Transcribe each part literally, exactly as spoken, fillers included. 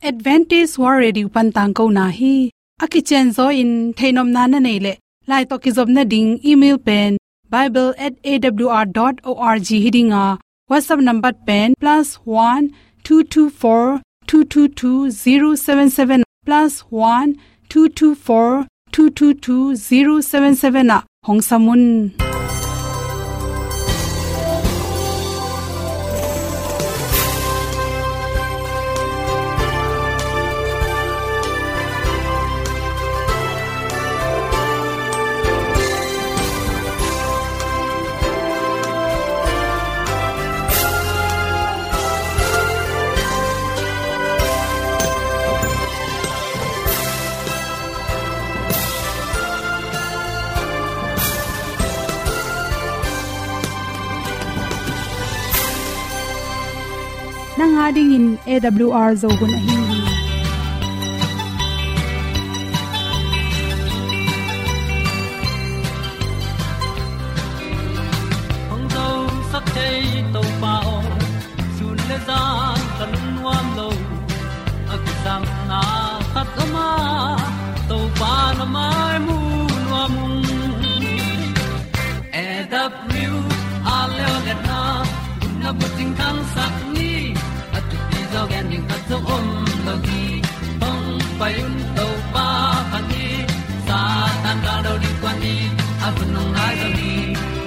Adventist World Radio pan tangkona hi. A kicianzaw in theihnopna na neih leh, lai tawh kizopna ding email pen bible at A W R dot org hi ding a, WhatsApp number pen plus one two two four two two two zero seven seven, plus one two two four two two two zero seven seven ah hong sam un. Nang a dingin A W R Zo hun ahi hi. Hong zosak thei Topa aw, sun le zan ka lungnuam lo. A kisapna khat om a, Topa na mai mu nuam ung. A W R Zo hun a bucing thangsak ni, a thupi zaw gen ding khat zong om lo hi. Hong pai un Topa phat ni, Satan gal do ding kuan ni, a hun hong nai zo ni.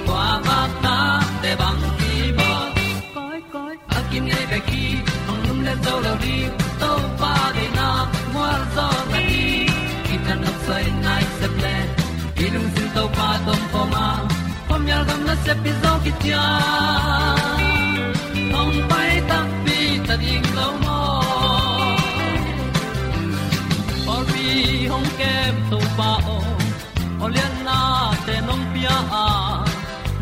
Kua vak ta te bang ki bawl. Koi, koi, a kinei bek hi, hong lum le zo lo ding, Topa deihna mual zaw na hi. Kitang nok soi nai sep le, i lungsim Topa tawh om khawm a, khuamial gam nasep pi zaw kician. Hong pai takpi ta ding lo maw. Pawlpi hong kem Topa aw, aw liannate nong pia a,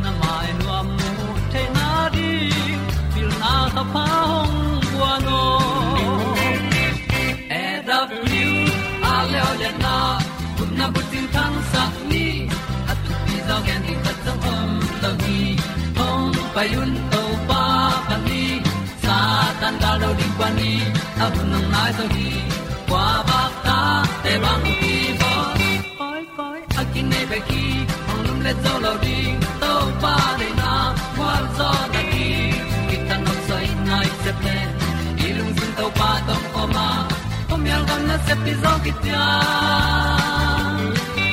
na mai nuam mu theihna ding, pilna thapha hong guan aw. A W R Zo hun a bucing thangsak ni, a thupi zaw gen ding khat zong om lo hi. Hong pai un Topa phat ni, Satan gal do ding kuan ni, a hun hong nai zo hi. Kua vak ta te bang ki bawl. Koi, koi, a kinei bek hi, hong lum le zo lo ding, Topa deihna mual zaw na hi. Kitang nok soi nai sep le, i lungsim Topa tawh om khawm a, khuamial gam nasep pi zaw kician.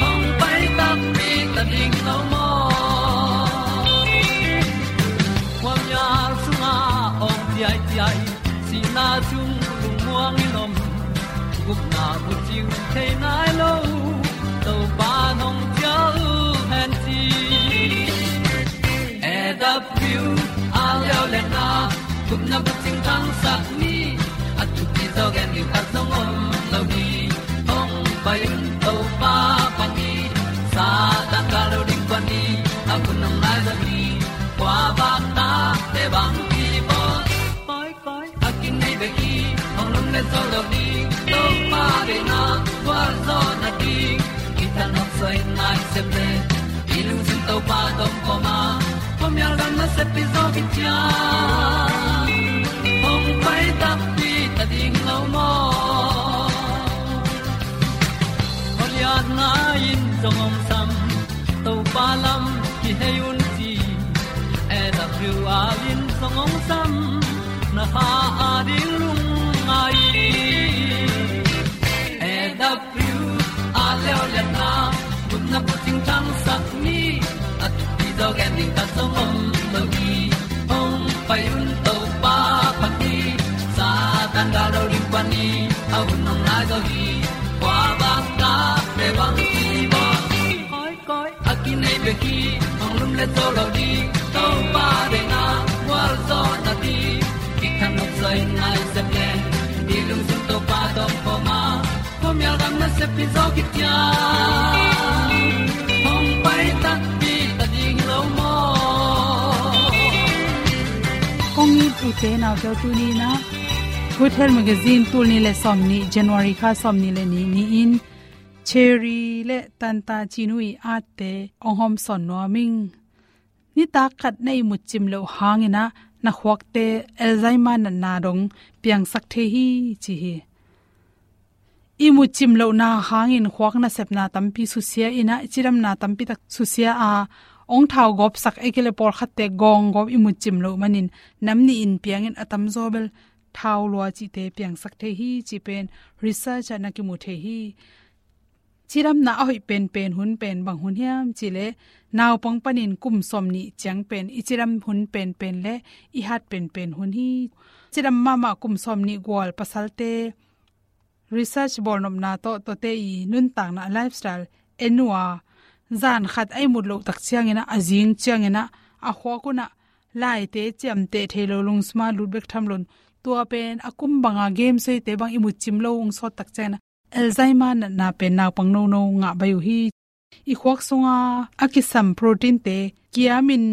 Hong pai takpi ta ding lo maw. Khuamial sungah awng ciaiciai, sihna sung lungmuang in om, gupna bucing thei nai lo, Topa nong cial hen ci. A W R Zo hun a gupna bucing thangsak ni, a thupi zaw gen ding khat zong om lo hi. Hong pai un Topa phat ni, Satan gal do ding kuan ni, a hun hong nai zo hi. Kua vak ta te bang ki bawl. Koi, koi, a kinei bek hi, hong lum le zo lo ding, Topa deihna mual zaw na hi. Kitang nok soi nai sep le, i lungsim Topa tawh om khawm a, khuamial gam nasep pi zaw kician. Hong pai takpi ta ding lo maw. Aw lianna in zong hong sam, Topa lam kihei un ci. A W R in zong hong sam, na kha a ding lungngai. A W R Zo hun a gupna bucing thangsak ni, a thupi zaw gen ding khat zong om lo hi. Hong pai un Topa phat ni, Satan gal do ding kuan ni, a hun hong nai zo hi. Kua vak ta te bang ki bawl. Koi, koi, a kinei bek hi, hong lum le zo lo ding, Topa deihna mual zaw na hi. Kitang nok soi nai sep le, i lungsim Topa tawh om khawm a, khuamial gam nasep pi zaw kician. Hong pai takpi ta ding lo maw. Kong it ute naute, tuni in ah Good Health Magazine tul nih le sawmnih, January kha sawmnih le nih ni-in Cherry le Tanta Cinu ii atte hong hawmsawn nuam ing. Nitak khat na ihmut cim loh hangin ah na khuakte Alzheimer natna dong piangsak thei hi ci hi. imut cim lohna hangin khuak nasepna tampi susia in ah, cidamna tampi tak susia a, ong thau gawpsak, ahih kei leh pawlkhatte gawng gawp imut cim loh manin nam nih in piangin a tamzaw bel thau lua cihte piangsak thei hi, cih pen research ah na kimu thei hi. Cidamna a hoih penpen hun pen bang hun hiam cih leh, naupang panin kum sawmnih ciang pen i cidam hun penpen leh i hat penpen hun hi. Cidam mahmah kum sawmnih gual pasalte research bawlnopna tawh, tuate i nuntakna, lifestyle en uh a, zan khat a imut loh tak ciangin ah, a zing ciangin ah, a khuak un ah laite ciamteh thei lo, lungsim a lut bek tham loin, tua pen a kum banga game suaite bang imut cim lo ung sawt tak ciangin ah, Alzheimer natna pen naupang nono ngah baih uh hi. I khuak sunga a kisam proteinte kiamin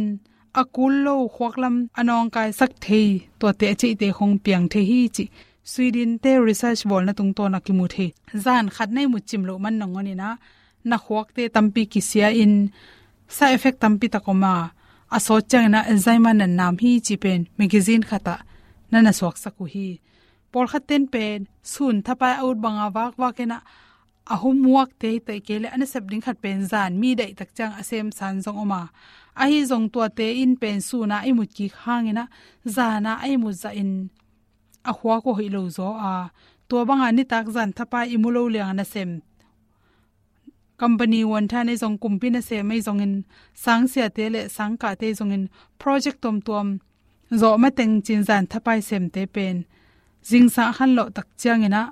a kul lo, khuak lam a nawngkaisak thei, tuate a ceihte khong piang thei hi, cih Sweden-te research bawlna tungtawn ah kimu thei. Zan khat na imut cim loh man nangawn in ah, na khuakte tampi kisia in, side effect tampi tak om a, a sawt ciangin ah Alzheimer natna om hi, cih pen magazine khat ah na na suaksak uh hi. Pawlkhatte'n pen sun thapai a ut banga vakvak in ah, a homeworkte hi, ahih kei leh a nasep ding khat pen zan mi daih tak ciang a sem san zong om a, ahi zong tuate in pen sun a a imut kik hangin ah, zan a a imut zahin a khuak uh hoih lo zaw a, tua banga nitak zan thapai i mu lo liang a nasem, company uanthang ahi zong, kumpi nasem ahi zongin, sangsiate leh sangkahte ahi zongin, project tuamtuam zawh mateng cin zan thapai semte pen zingsang a khanlawh tak ciangin ah,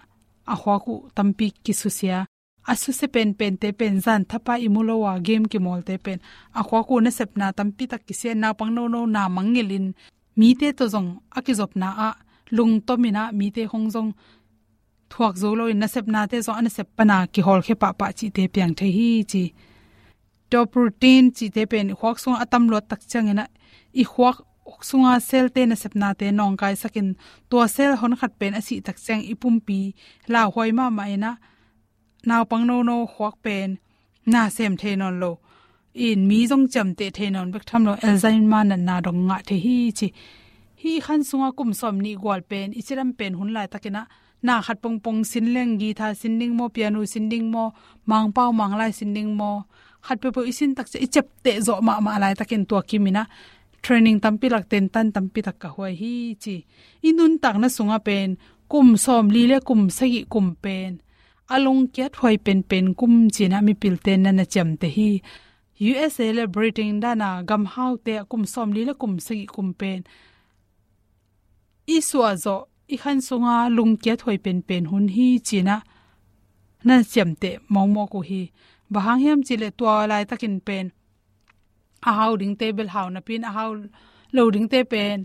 a khuak uh tampi kisusia. A susia penpente pen zan thapai i mu lo a game kimawlte pen a khuak uh nasepna tampi tak kisia, naupang nono na mangngilhin, mite tawh zong a kizopna ah lungtom in ah, mite khong zong thuak zo loin, nasepnate zong a nasep pana kihawlkhia pahpah cihte piang thei hi, ci. Tua protein cihte pen i khuak sungah a tam luat tak ciangin ah, i khuak sunga cell-te nasepnate nawngkaisakin, tua cell hon khat pen a sih tak ciang i pumpi lauhuai mahmah in ah, naupang nono khuak pen na sem thei nawn lo, in mi zong ciamteh thei nawn bek tham lo, Alzheimer natna dong ngah thei hi, ci. Hih i khan sunga kum sawmnih gual pen i cidam pen hun laitakin ah, na khat pongpong sin leng, guitar sin ding maw, piano sin ding maw, Mangpau Manglai sin ding maw, khat peuhpeuh i sin tak ciang i ciapteh zawh mahmah laitakin, tua kimin ah training tampi lak, tentan tampi tak ka huai hi, ci. I nuntakna sungah pen kum sawmli leh kum sagih kum pen a lungkiat huai penpen kum ci-in ah mipilte'n na na ciamteh hi. U S A leh Britain dan a gam haute ah kum sawmli leh kum sagih kum pen i suah zawh, i khan sunga lungkiat huai penpen hun hi, ci-in ah na na ciamteh mawkmawk uh hi. Bang hang hiam cih leh, tua laitakin pen a hau dingte bel hau napi-in, a hau lo dingte pen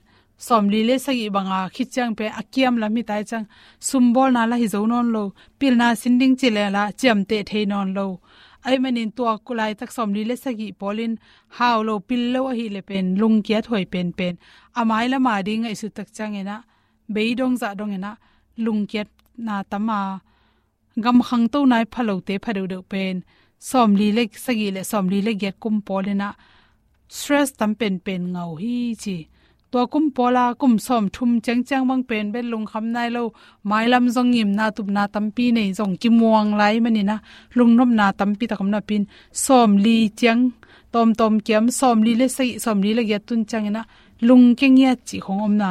sawmli leh sagih banga khit ciang pen a kiam lam hi tai ciang, sum bawlna lah hi zo nawn lo, pilna sin ding ci leh lah ciamteh thei nawn lo. Ahih manin tua laitak sawmli leh sagih pawlin hau lo, pil lo ahih leh pen lungkiat huai penpen, a mailam a ding ngaihsut tak ciangin ah, beidong zahdong in ah lungkiatna tam a, gam khangto nai pha lote pha deuhdeuh pen sawmli leh sagih leh sawmli leh giat kum pawlin ah stress tam penpen ngah uh hi, ci. Tua kum pawl a kum sawmthum ciangciang bang pen bel lungkham nai lo, mailam zong ngimna tupna tampi nei, zong kimuang lai manin ah lungnopna tampi tak om napi-in, sawmli ciang tawmtawm kiam, sawmli leh sagih, sawmli leh giat tun ciangin ah lungkia ngiat cih khong omna,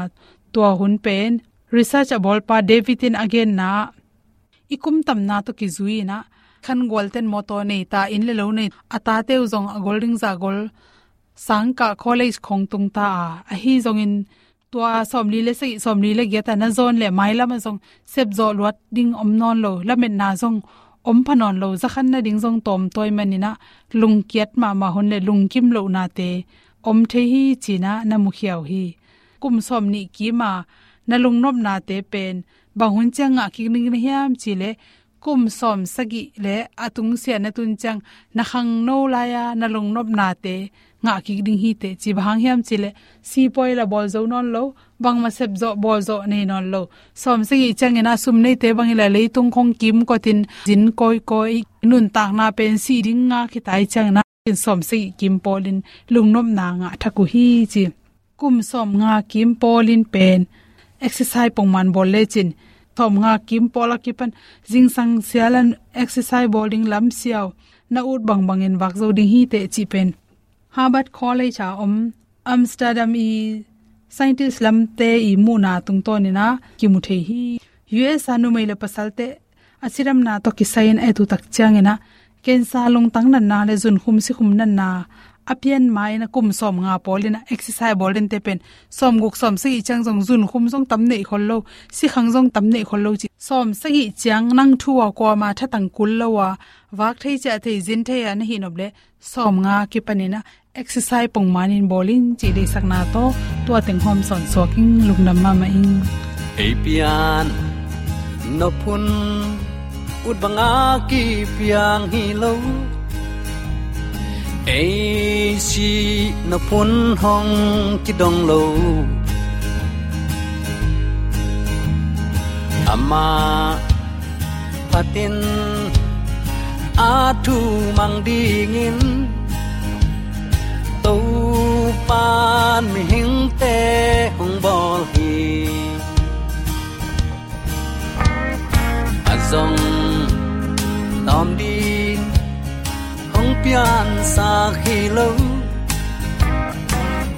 tua hun pen research a bawlpa David in a genna ah, i kum tamna tawh kizui in ah, khan gualte'n mawtaw nei ta, inn leh lo nei, a tate uh zong a gol ding zah gol, sangkah, college khong tung ta a, ahi zongin tua sawmli leh sagih, sawmli leh giat a na zawn leh mailam ah zong sepzawh luat ding om nawn lo, lametna zong om pha nawn lo, za khan nading zong tawmtawi manin ah lungkiat mahmah hun leh lungkim lohnate om thei hi, ci-in ah na mukhia uh hi. Kum sawmnih kim a na lungnopnate pen bang hun ciang ngah kik ding na hiam cih leh, kum sawmsagih leh a tungsiah na tun ciang na khangno lai-a na lungnopnate ngah kik ding hi teh, ci. Bang hang hiam cih leh, sipuai lah bawl zo nawn lo, bangmah sepzawh bawlzawh nei nawn lo. Sawmsagih ciangin ah sum neite bang hi leh leitung khong kimkotin zin kawikawi, nuntakna pen sih ding ngak hi tai ciangin ah, sawmsagih kim pawlin lungnopna ngah thak uh hi, ci. Kum sawmnga kim pawlin pen exercise pongman bawl lecin sawmnga kim pawl a kipan zingsang sialan exercise bawl ding lam siau na ut bangbangin vak zo ding hi teh cih pen Harvard College a om Amsterdam i scientist lamte i muhna tungtawnin a kimu thei hi. U S a numei le pasalte a cidamna tawh kisai-in a et uh tak ciangin a cancer, lungtang natna le zunkhum sikhum natna a pian ma-in a kum sawmnga pawl in a exercise bawl dente pen sawmguk sawmsagih ciang zong zunkhum zong tam neih khol lo, sikhang zong tam neih khol lo ci. Sawmsagih ciang nang thu a kuama thatang kul lo a vak thei ciah thei zin thei a na hih nop leh sawmnga kipanin a exercise pongmanin bawl in cih deihsakna tawh tua teng hawm sawnsuak ing. Lungdam mahmah ing. Ei pian nop hun ut banga kipiang hi lo, ei sih nop hun hong kidong lo. Amah phatin a thu mang dingin Topan mihingte hong bawl hi. A zong tawm ding hong piansak hi lo,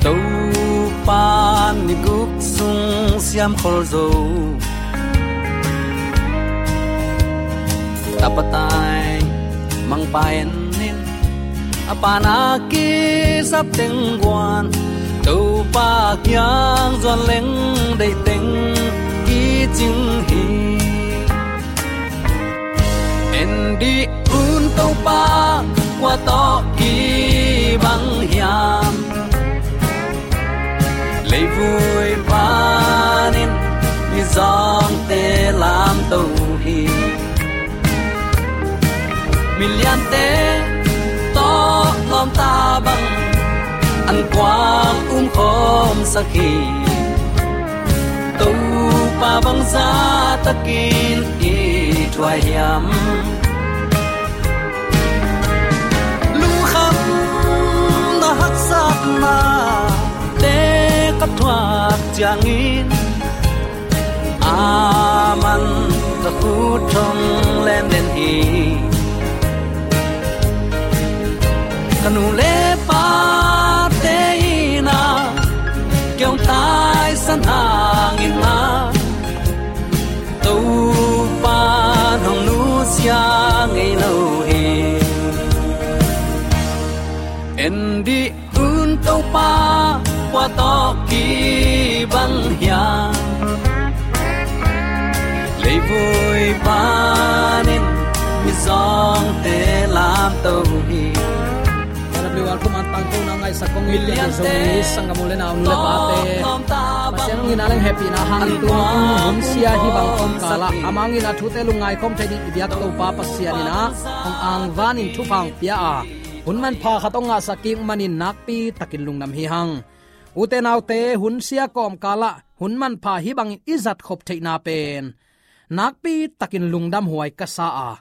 Topan ni guk sung siam khol zo. Tapa tai mangpa en in, a pana kisap teng guan, Topa kiang zuan leng deih teng kicing hi. En dih un Topa, kua tawh kibang hiam? Leivui panin mizawngte lamto hi. Miliante tawh lawmta bang an kuang umkhawmsak hi. Topa bangzah takin i thuai hiam? Lungkhamna haksatnate ka thuak ciangin aman ka khut thong lemlem hi. Ka nu le pate in a kei hong taisan hangin a, Topa hong nusia ngei lo hi. En dih un Topa, kua tawh kibang hiam? Leivui panin mizawngte lamto hi. K W R Khuman tangkona ngaihsak kong it pian Zomi sanggam u le nau, nu le pate, Pasian hong itna leng hehpihna hangin tu hun sia hih bang kawmkalah a mang in a thute lungngai khawm thei ding i biak Topa Pasian in a hong angvanin thupha hong pia a, hun manpha khat hong ngahsak kik manin nakpi takin lungdam hi hang. Ute naute, hun sia kawmkalah hun manpha hih bangin i zatkhop theihna pen nakpi takin lungdam huai ka sa a,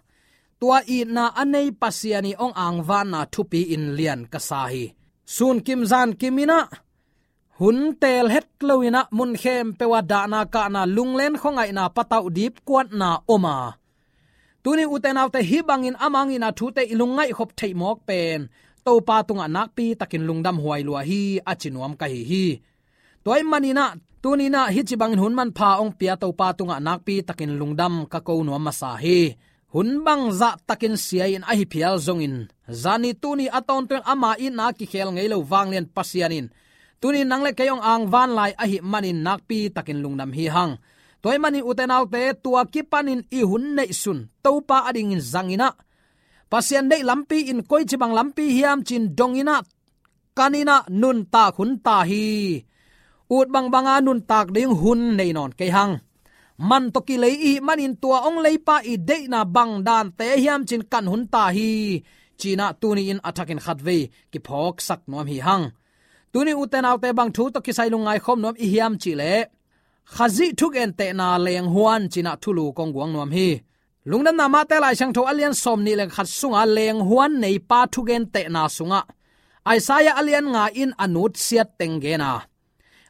tua itna a nei Pasian i hong angvanna thupi in lian ka sa hi. Sunkim zankim in a hun teel het lo in a mun khempeuh ah dahna kahna, lunglen khuangaihna, patauh dipkuatna om a, tuni ute naute, hih bangin a mang in a thute i lungngaih khop theih mawk pen Topa tungah nakpi takin lungdam huai lua hi, a ci nuam ka hi hi. Tua ahih manin a tuni in a hih ci bangin hun manpha hong pia Topa tungah nakpi takin lungdam ka ko nuam masa hi. Hun bangzah takin sia in a hi phial zongin, zani tuni a tawntung in ama itna kikhel ngei lo vanglian Pasian in tuni in nang le kei hong angvan lai ahih manin nakpi takin lungdam hi hang. Tua ahih manin ute naute, tua kipanin i hun neihsun Topa adingin zang in a, Pasian deih lampi in koici bang lampi hiam ci-in dong in a, kan in a nuntak hun ta hi. Ut bangbanga nuntak ding hun nei nawn kei hang. Man tawh kilei i hih manin tua hong leipa i deihna bang dante hiam ci-in kan hun ta hi, ci-in a tuni in a thakin khatvei kiphawksak nuam hi hang. Tuni ute naute, bang thu tawh kisai lungngai khawm nuam i hiam cih leh, Khazih thugentehna lenghuan ci-in a thulu kong guang nuam hi. Lungdamna Mate Lai Siangtho a lian sawmnih le khat sunga lenghuan neipa thugentehna sungah Isaiah a lian nga in a nutsiat teng gen a,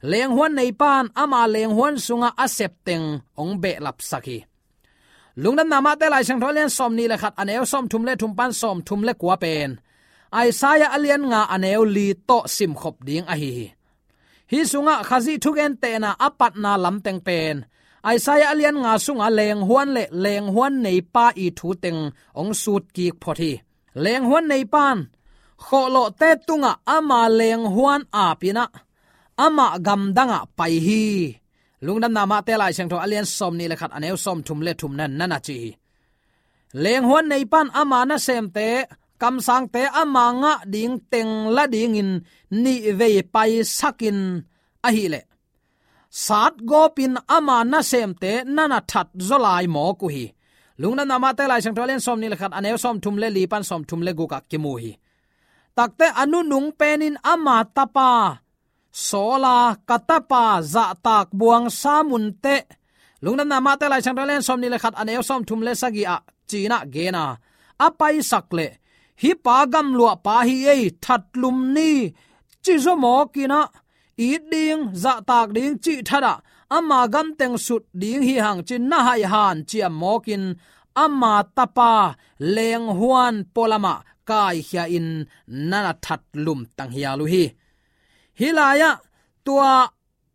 Lenghuan neipan ama lenghuan sungah a septeng hong behlapsak hi. Lungdamna Mate Lai Siangtho a lian sawmnih le khat, a neu sawmthum le thum pan sawmthum le kua pen Isaiah a lian nga, a neu li tawh simkhop ding ahi hi. Hih sungah Khazih thugentehna a patna lamteng pen Isaiah a lian nga sungah lenghuan le lenghuan neipa ii thuteng hong sutkik phot hi. Lenghuan neipan khawhlawhte tungah ama lenghuan apin ah amah gamdangah pai hi. Lungdamna Mate Lai Siangtho a lian sawmnih le khat, a neu sawmthum le thum nan nana ci hi. Lenghuan neipan ama nasemte, kamsangte ama ngah ding teng la dingin nihvei paisakin ahileh satgawpin ama nasemte nana that zaw lai mawk uh hi. Lungdamna Mate Lai Siangtho a lian sawmnih le khat, a neu sawmthum le li pan sawmthum le gukah kimu hi. Takte a nunung penin ama tapa sawla, ka tapa zahtak buang sa munteh. Lungdamna Mate Lai Siangtho a lian sawmnih le khat, a neu sawmthum le sagih ah cinah gena a paisak leh hih pa gamluahpa hi ei, that lum ni, ci zaw mawkinah it ding, zahtak ding cih thatah ama gamteng sut ding hi hang ci na haihan ciam mawkin ama tapa lenghuan pualamah kaikhia in nana that lumtang hial uh hi. Hih lai-ah tua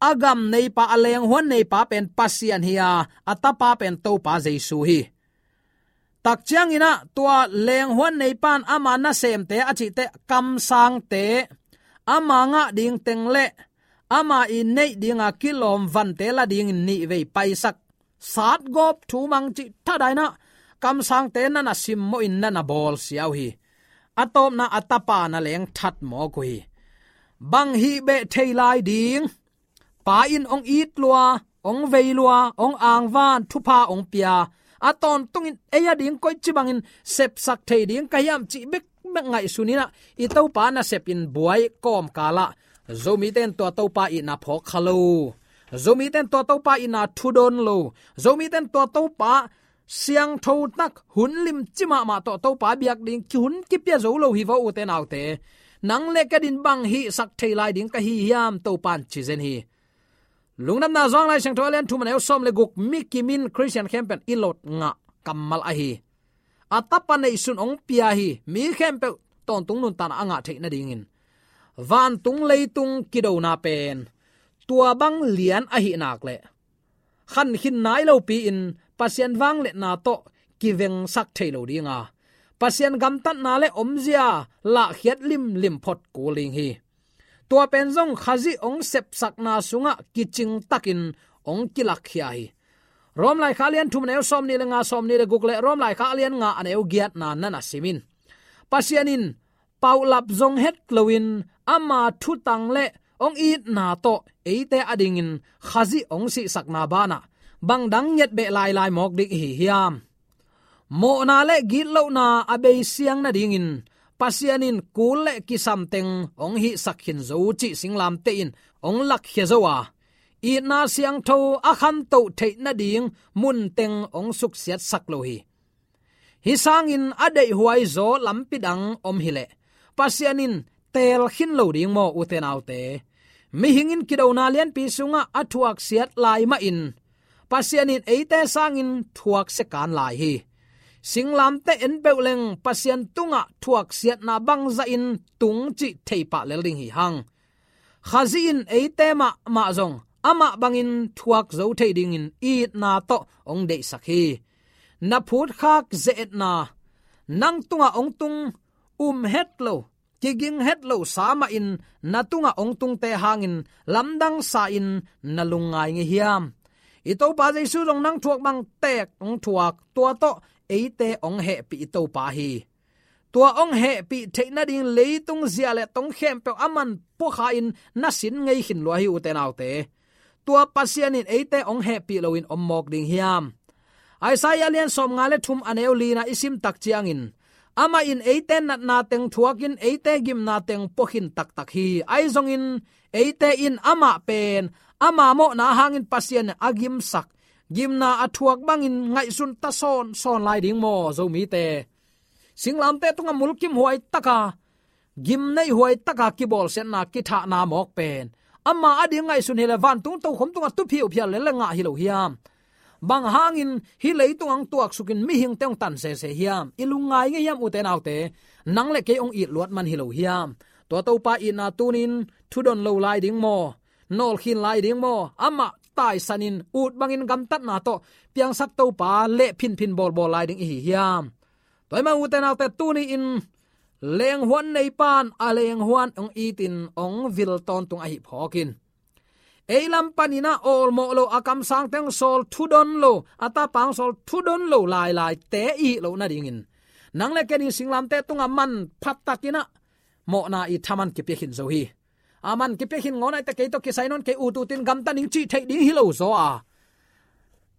a gam neipa, a lenghuan neipa pen Pasian hi a, a tapa pen Topa Jesu hi. Tak cianginah tua lenghuan neipan ama nasemte a cihte kamsangte ama ngah ding teng le ama ii neih dinga kilawm vante la dingin nihvei paisak satgawp thu mang cih thadainah kamsangte nana simmawhin nana bawlsia uh hi. A tawpna a tapa na leng that mawk uh hi. Bang hih beh thei lai ding? Pa in hong it lua, hong vei lua, hong angvan, thupha hong pia, a tawntungin ei a ding koici bangin sepsak thei ding ka hiam cih bekbek ngaihsuninah i Topa nasepin buai kawmkalah Zomite in tua Topa itna phawk kha lo, Zomite in tua Topa itna thudawn lo, Zomite in tua Topa siangthotak hun limci mahmah tawh Topa biak ding ki hun kipia zo lo hi vo, ute naute. Nang le ka din bang hihsak thei lai ding ka hi hiam, Topa in ci zen hi. Lungdamna Johan Lai Siangtho a lian thum, a neu sawm le guk, mi kimin Khristian khempeuh in i lot ngah kammal ahi. A tapa neihsun hong pia hi. Mi khempeuh tawntung nuntakna a ngah theih nadingin vantung leitung kidona pen tua bang lian ahih nak leh khankhin nai lopi-in Pasian vangliatna tawh kivengsak thei lo dinga, Pasian gamtatna le omzia lahkhiat limlim phot kul ding hi. Tua pen zong Khazih hong sepsakna sungah kicingtakin hong kilakkhia hi. Rom laikhak a lian thum, a neu sawmnih le nga, sawmnih le guk le Rom laikhak a lian nga, a neu giatna nana simin, Pasian in paulap zong het loin ama thutang le hong itna tawh eite adingin Khazih hong sihsakna banah bangdang ngiat beh lailai mawk ding ihi hiam? Mawhna le gitlohna a beisiang nadingin Pasian in kul le kisamteng hong hihsak khin zo cih singlamteh in hong lakkhia zo a, itna siangtho a khantoh theih nading munteng hong suksiatsak lo hi. Hih sangin a deihhuai zaw lampi dang om hileh Pasian in teel khin lo ding maw, ute naute? Mihing in kidona lianpi sungah a thuaksiat lai mahin Pasian in eite sangin thuaksia kan lai hi. Singlamteh en peuh leng Pasian tungah thuaksiatna bangzahin tung cih theipah lel ding hi hang. Khazih in eite mahmah zong amah bangin thuak zo thei dingin itna tawh hong deihsak hi. Na phutkhak ze-etna nang tungah hong tung um het lo, kiging het lo sa mahin na tungah hong tungte hangin lamdang sa-in na lungngai ngei hiam? I Topa Jesu zong nang thuak bang teek hong thuak, tua tawh eite hong hehpih i Topa hi. Tua hong hehpih theih nading leitung zia le tong khempeuh a man puakha-in na sin ngei khin lua hi, ute naute. Tua Pasian in eite hong hehpih loin om mawk ding hiam? Isaiah lian sawmnga le thum, a neu lina i sim tak ciangin, amah in eite natna teng thuakin eite gimna teng puakhin taktak hi. Ahi zongin eite in amah pen ama mawhna hangin Pasian a gimsak, gimna a thuak bangin ngaihsun ta sawnsawn lai ding maw, Zomite? Singlamteh tungah mulkimhuai taka, gimneihhuai taka kibawlsiatna, kithahna mawk pen Ama ading ngaihsun hi leh vantung tokhom tungah tu phiuphia lel leh ngah hi lo hiam? Bang hangin hih leitung hong tuaksukin mihingte hong tan sese hiam? I lungngai ngei hiam, ute naute? Nang le kei hong it luat man hi lo hiam? Tua Topa itna tuni-in thudon lo lai ding maw? Nawlkhin lai ding maw? Amah taisanin ut bangin gamtatna tawh piangsak Topa leh phinphin bawlbawl lai ding i hi hiam? Tua ahih manin ute naute, tuni-in lenghuan neipa'n a lenghuan hong itin hong vil tawntung ahih phawkin, ei lam panin ah awlmawh lo, a kamsangte hong sawl thudon lo, a tapa hong sawl thudon lo lailaite i hih loh nadingin, nang le kei in singlamteh tungah manpha takin ah mawhna i thaman kipia khin zo hi. A man kipia khin ngawn ahih teh kei tawh kisai nawn kei, ut utin gamta ning cih theih ding hi lo zaw a,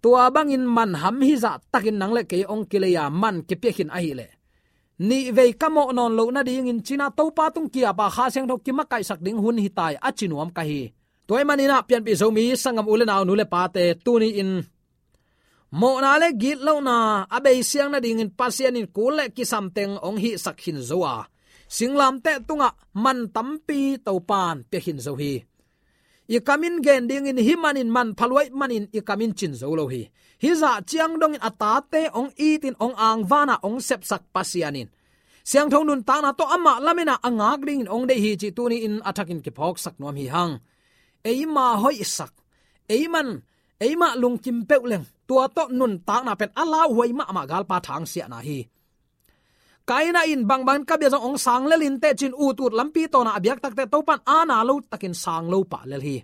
tua bangin man ham hizah takin nang le kei hong kilei a man kipia khin ahih leh, nihvei ka mawh nawn loh nadingin ci-in ah Topa tung ki-ap a, Kha Siangtho kimakaihsak ding hun hi ta hi, a ci nuam ka hi. Tua ahih manin ah pianpih Zomi sanggam u le nau, nu le pate, tuni-in mawhna le gitlohna a beisiang nadingin Pasian in kul le kisam teng hong hihsak khin zo a, singlamteh tungah man tampi Topa'n pia khin zo hi. I kam in gen dingin, hih manin manpha lua ahih manin i kam in cin zo lo hi. Hih zah ciang dongin a tate hong itin hong angvan a hong sepsak Pasian in siangtho nuntakna tawh amah lamen a a ngak dingin hong deih hi cih tuni-in a thakin kiphawksak nuam hi hang. Eima hoihsak, ei man, eimah lungkim peuh leng, tua tawh nuntakna pen a lauhuai mahmah galpa thangsiahna hi. Kaina in bangbangin ka bia zong hong sang lel inteh ci-in ut ut lampi tawna a biak tak teh Topa'n aana lo takin sang lo pah lel hi.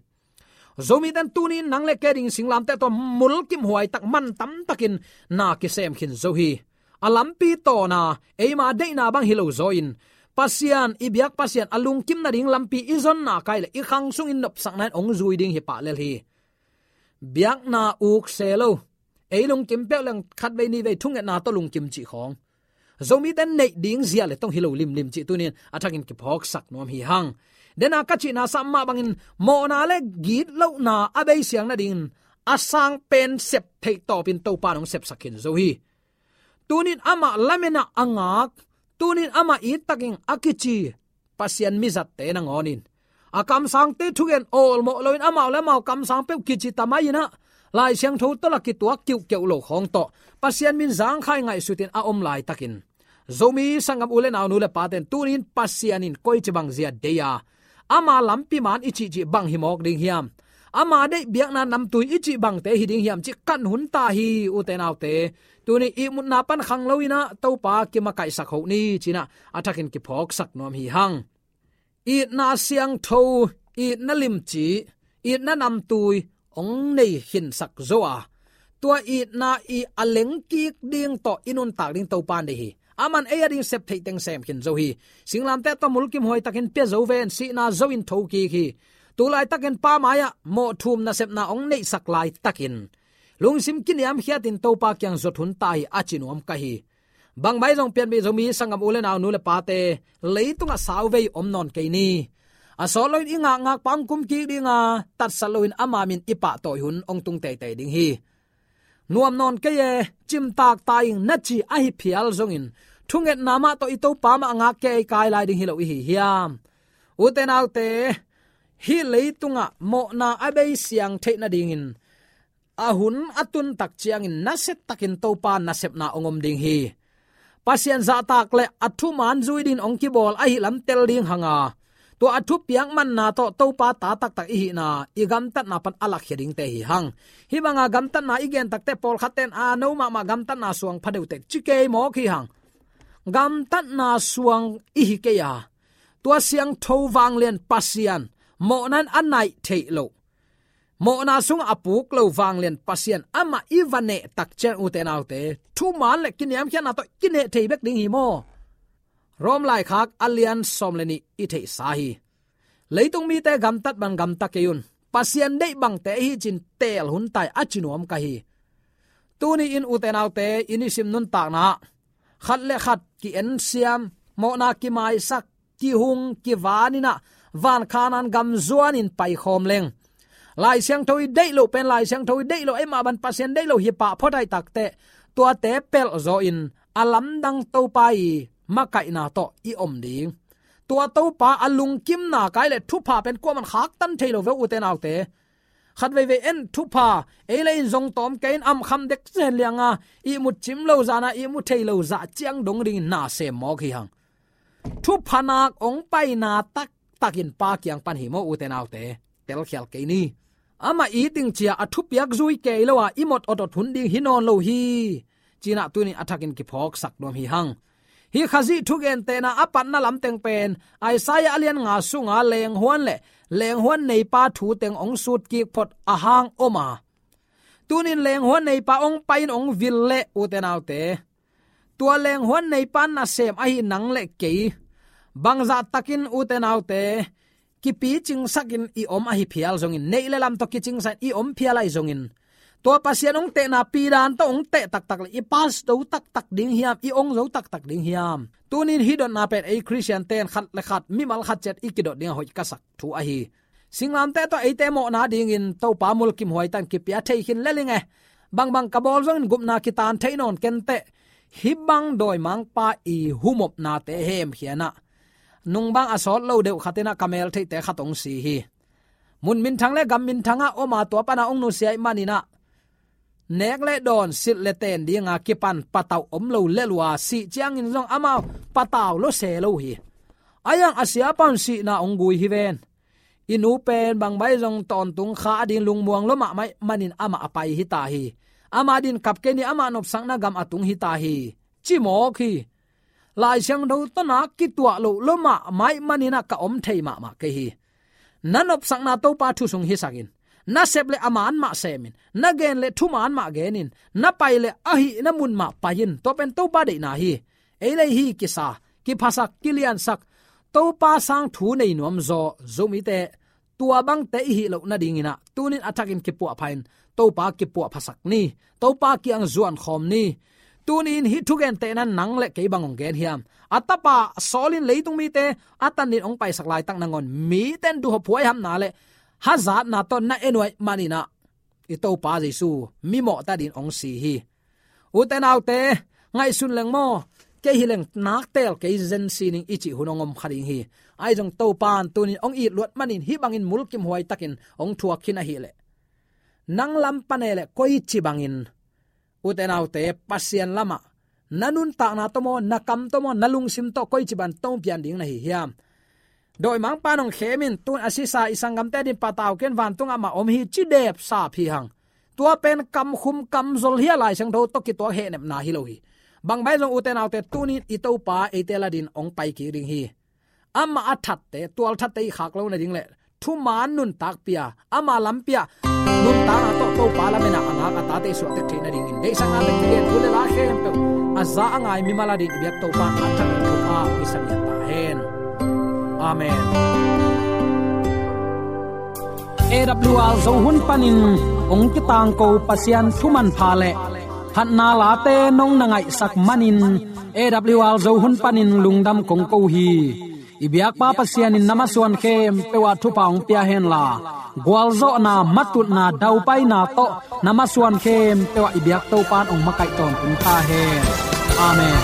Zomite'n tuni-in nang le kei ading singlamteh tawh mulkimhuai tak, man tam takin na kisem khin zo hi. A lampi tawna eima deihna bang hi lo zaw in, Pasian, i biak Pasian a lungkim nading lampi i zonna kai leh i khang sungin nopsakna in hong zui ding hi pah lel hi. Biakna uk se lo, ei lungkim peuh leng khatvei nihvei thungetna tawh lungkim cih khawng, Zomite'n neih ding zia le tong hi lo limlim cih tuni-in a thakin kiphawksak nuam hi hang. Dena ka cihna sam mah bangin mawhna le gitlohna a beisiang nadingin a sang pen sep theih tawpin Topa'n hong sepsak khin zo hi. Tuni-in amah lamen a a ngak, tuni-in amah it takin a kici Pasian mizatte nangawnin, a kamsangte thugen awlmawh loin amau le amau kamsang peuh kici ta mai-in ah, Lai Siangtho tawh la kituak kiuhkeuh lo khawng tawh Pasian min zangkhai ngaihsutin a om laitakin, Zomi sanggam u le nau, nu le pate'n tuni-in Pasian in koici bang zia deih a, ama lampi man i cihcih bang hi mawk ding hiam? Ama deih biakna namtui i cih bangte hi ding hiam cih kan hun ta hi, ute naute. Tuni ihmutna pan khang loin ah Topa kimakaihsak hoh ni ci-in ah a thakin kiphawksak nuam hi hang. Itna siangtho, itna limci, itna namtui hong nei khinsak zo a, tua itna i a lengkik ding tawh i nuntak ding Topa'n deih hi. Aman ei ading sep theih teng sem khin zo hi. Singlamteh tawh mulkimhuai takin pia zo ven, sihna zo in thokik hi. Tu laitakin Pa mai-ah mawh thum nasepna hong neihsak laitakin lungsim kiniamkhiatin Topa kiang zuat hun ta hi, a ci nuam ka hi. Bang mai zong pianpih Zomi sanggam u le nau, nu le pate, leitungah sauvei om nawn kei ni. A sawt loin i ngakngakpa hong kumkik ding a, tatsat loin ama min i pahtawi hun hong tung teitei ding hi. Nuam nawn kei e, cimtak ta ing na ci ahi phial zongin, thungetna mah tawh i Topa mah a ngak kei kai lai ding hi lo i hi hiam? Ute naute, hih leitungah mawhna a beisiang theih nadingin a hun a tun tak ciangin nasia takin Topa nasepna hong om ding hi. Pasian zahtak le a thuman zui dingin hong kibawl ahih lam tel ding hang a, tua a thupiak manna tawh Topa ta taktak i hihna, i gamtatna pan a lakkhia dingte hi hang. Hih banga gamtatna i gen tak teh pawlkhatte'n a no mahmah gamtatna suang pha deuh teh ci kei mawk hi hang. Gamtatna suang i hi kei a, tua siangtho vanglian Pasian, mawhna in a naih theih loh, mawhna sungah a puk lo vanglian Pasian amah i va neh tak ciang, ute naute, thuman le kiniamkhiatna tawh kineh thei bek ding hi maw? Rom laikhak a lian sawm le nih i theihsa hi. Leitung mite gamtat bang gamta kei un, Pasian deih bangte hi ci-in teel hun ta hi, a ci nuam ka hi. Tuni-in ute naute, i nisim nuntakna ah khat le khat ki-ensiam, mawhna kimaisak, kihung kivan in ah, van Khanaan gam zuanin paikhawm leng, Lai Siangtho i deih loh pen Lai Siangtho i deih loh, eimah bang Pasian deih loh hi pah phot ahih tak teh, tuate pelh zawin a lamdang Topa i makaihna tawh i om ding. Tua Topa a lungkimna kai le thupha pen kuaman khaktan thei lo ve, ute naute. Khat veivei en thupha, ei le in zong tawm kei in, amkham dek zen lianga, ihmut cim lo zana, ihmu thei lo zah ciang dong dingin na sem mawk hi hang. Thupha nak ong paina taktakin Pa kiang pan hi maw, ute naute. Telkhial kei ni. Amah i ding cia a thupiak zui kei lo a, i mot otot hun ding hi nawn lo hi. Cinah tunin a thakin kiphawksak nuam hi hang. Hih Khazih thugentehna a patna lamteng pen Isaiah a lian nga sunga lenghuan le lenghuan neipa thu teng ong sutkik phot a hang om a. Tunin lenghuan neipa ong pai in ong vil le, ute naute, tua lenghuan neipa nasem ahi nang le kei, bangzah takin, ute naute, kipicingsakin i om ahi phial zongin, neih le lam tawh kicingsakin i om phial ahi zongin, tua Pasian ong tehna pidan tawh ong teh taktak le i pass zo taktak ding hiam, i ong zo taktak ding hiam? Tunin hih dotna pen ei Khristian ten khat le khat, mimal khat ciat i kidot ding a hoih ka sak thu ahi. Singlamteh tawh eite mawhna dingin Topa mulkimhuai tan kipia thei khin lel ing e. Bangbang ka bawl zongin gupna kitan thei nawn kenteh. Hih bang dawimangpa i humopnate hemkhianah nungbang a sawt lo deuh khatinah ka meltheihte khat ong si hi. Mun minthang le gam minthangah om a, tua pana ong nusia ih maninah nek le dawn, silh le ten dinga kipan patauh om lo lel uh a, sih ciangin zong amau patau lo se lo hi. A iang a siapa un sihna ong gui hi ven. I nu pen bangbai zong tawntung kha a ding lungmuang lo mahmah ih manin amah a pai hi ta hi. Amah din kap kei ni, amah nopsakna gam a tung hi ta hi, ci mawk hi. Lai Siangtho tawh na kituah loh lo mahmah ih maninah ka om thei mahmah kei hi. Na nopsakna Topa thu sung hisakin, na sep le a man mah semin, na gen le thuman mah genin, na pai le a hihna mun mah pai-in, tua pen Topa deihna hi. Ei le ei hih kisa, kiphasak, kiliansak, Topa sang thu nei nuam zaw Zomite, tua bangte i hih loh nadinginah tunin a thakin kipuahpha in Topa kipuahphasak ni. Topa kiang zuankhawm ni. Tunin hih thugentehna nang le kei bang ong gen hiam? A tapa Saul in leitung mite a tanin ong paisak laitak nangawn mite in duhop huaihamna le hazatna tawh na en uh ih maninah i Topa Jesu mimawh ta din ong si hi. Ute naute, ngaihsun leng maw, kei hi leng naktel kei zen si ning i cih hun ong om kha ding hi. Ahi zong Topa in tunin ong it luat manin hih bangin mulkimhuai takin ong thuak khin ahih leh, nang lam pane le koici bangin, ute naute, Pasian lamah na nuntakna tawh maw, na kam tawh maw, na lungsim tawh koici bang tawh pian ding na hi hiam? Dawimangpa in ong khemin, tun a sisa i sanggamte din patau ken, vantungah mah om hi, ci depsap hi hang. Tua pen kamkhum kamzol hi a, Lai Siangtho tawh kituak hehnepna hi lo hi. Bangbai zong, ute naute, tunin i Topa eite ladin ong pai kik ding hi. Amah a thatte, tualthatte i khak lo nading le thuman nuntak pia, ama lam pia, nuntakna tawh Topa lamena a ngak a tate i suahtek theih nadingin deihsakna tawh kigen thu le la khempeuh a za a ngai mimal adin i biak Topa in a thakin thupha ong hisak ta hen. Amen. A W R Zo hun panin ong kitangko Pasian thu manpha le phatna late nong na ngaihsak manin A W R Zo hun panin lungdam kong ko hi. I biakpa Pasian in na masuan khempeuh ah thupha ong pia henla, gualzawhna, matutna, daupaina tawh na masuan khempeuh ah i biak Topa in ong makaih tawntung ta hen. Amen.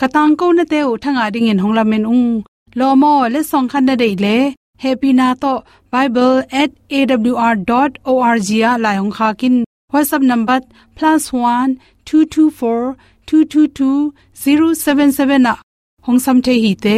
Ka tangkonate uh thangah dingin hong lamen ung. Lawm aw, letsong khat na deih le hehpihna tawh bible at A W R dot O R G ah lai hong khak in. WhatsApp number plus one two two four two two two zero seven seven ah hong sam thei hi te.